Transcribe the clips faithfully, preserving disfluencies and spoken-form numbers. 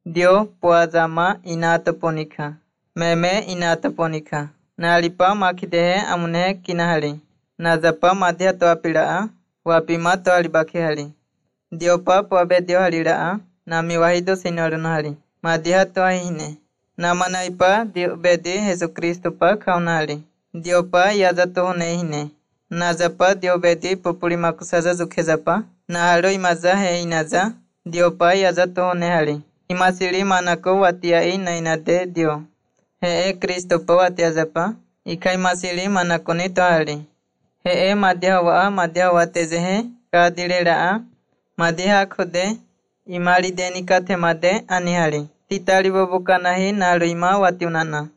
Dio puazama inataponika. Meme inataponika. Nalipa makidehe amunehe kinahali. Nazapa madhya toapilaa. Wapima toalibaki hali. Diopa puabe dio halilaa. Nami wahido sinolun hali. Madhya toahine. Namanaipa dio bedi Yesu Kristo pa kaunali. Diopa yazato hunehine. Nazapa dio bedi populi makusaza zukezapa. Nahalo imaza he inaza. Diopa yazato hunehali. Imasili manako watiai na inade dio. Hee Kristo pa watiazapa. Ika imasili manako ni tohali. Hee madhya waa madhya watezehe kadilelaa. Madhya khude imali deni kathe made anihali. Titali bobuka nahi nalu ima watiunana.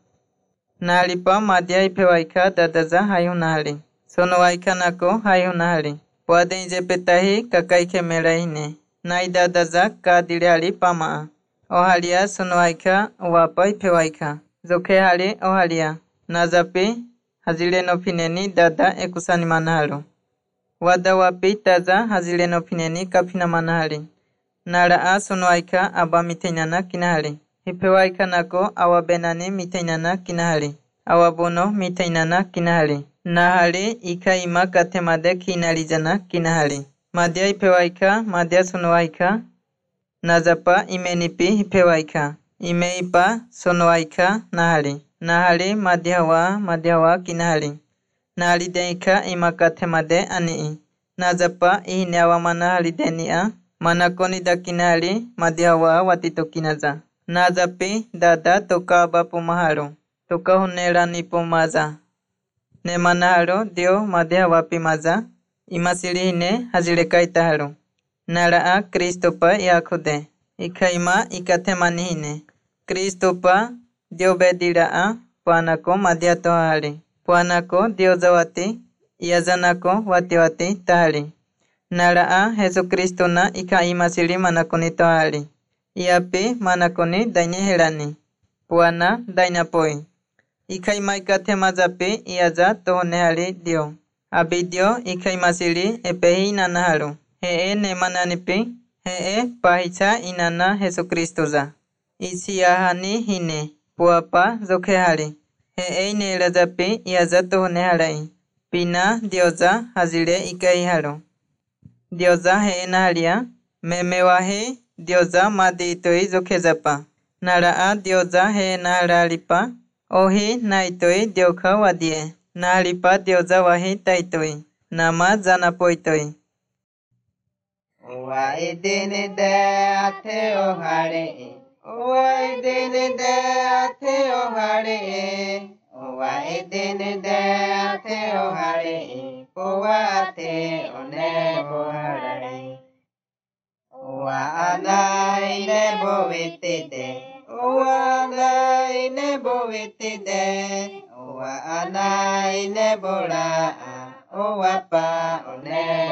Nalipa madhya ipewaika dadaza hayunahali. Sono waika nako hayunahali. Wade inje petahi kakaike melahine. Naidadaza kadilehali pamaa. Ohalia sunuaika wapa ipewaika. Zoke hali ohalia. Nazapi hazile no pineni dada ekusani manahalo. Wada wapi taza hazile no pineni kapina manahali. Naraa sunuaika aba mitenana kinahali. Ipewaika nako awabenani mitenana kinahali. Awabono mitenana kinahali. Nahali ika ima katemade kinalijana kinahali. Madhya ipewaika madhya sunuaika. Nazapa imenipi ipewaika. Imeipa sonoaika nahali. Nahali madhyawa madhyawa kinahali. Nahali deika imakate made anii. Nazapa ihinewa manahali denia. Manakoni da kinahali madhyawa watito kinaza. Nazapi dada toka abapu mahalo. Toka hunela nipo maza. Ne manahalo dio madhyawa pimaza. Imasilihine hazileka itahalo. Naraa Kristo pa yakude. Ikaima ikatemanihine. Kristo pa dio bediraa puanako madhya tohali. Puanako dio zawati iazanako wati wati tahali. Naraa Yesu Kristo na ikaima sili manakoni tohali. Iapi manakoni daine helani. Puana dainapoi. Ikaima ikatemazapi iaza tohonehali dio. Abidio ikaima sili epehi nanahalo. Hee ne mananipi, hee pahicha inana Yesu Kristo za. Isiyahani hine, puapa zokehali. Hee ine lazapi iazato honehalai. Pina dioza hazile ikaihalo. Dioza hee nahalia, memewahi dioza madiitoi zokezapa. Naraa dioza hee nahalalipa, ohi naitoi dioka wadie. Nahalipa dioza wahi taitoi, nama zanapoitoi. Owa idene de ate ohare. Owa idene de ate ohare. Owa idene de ate ohare. Owa ate one bohare. Owa ala ine bovete de. Owa ala ine bovete de. Owa ala ine bora. Owa pa one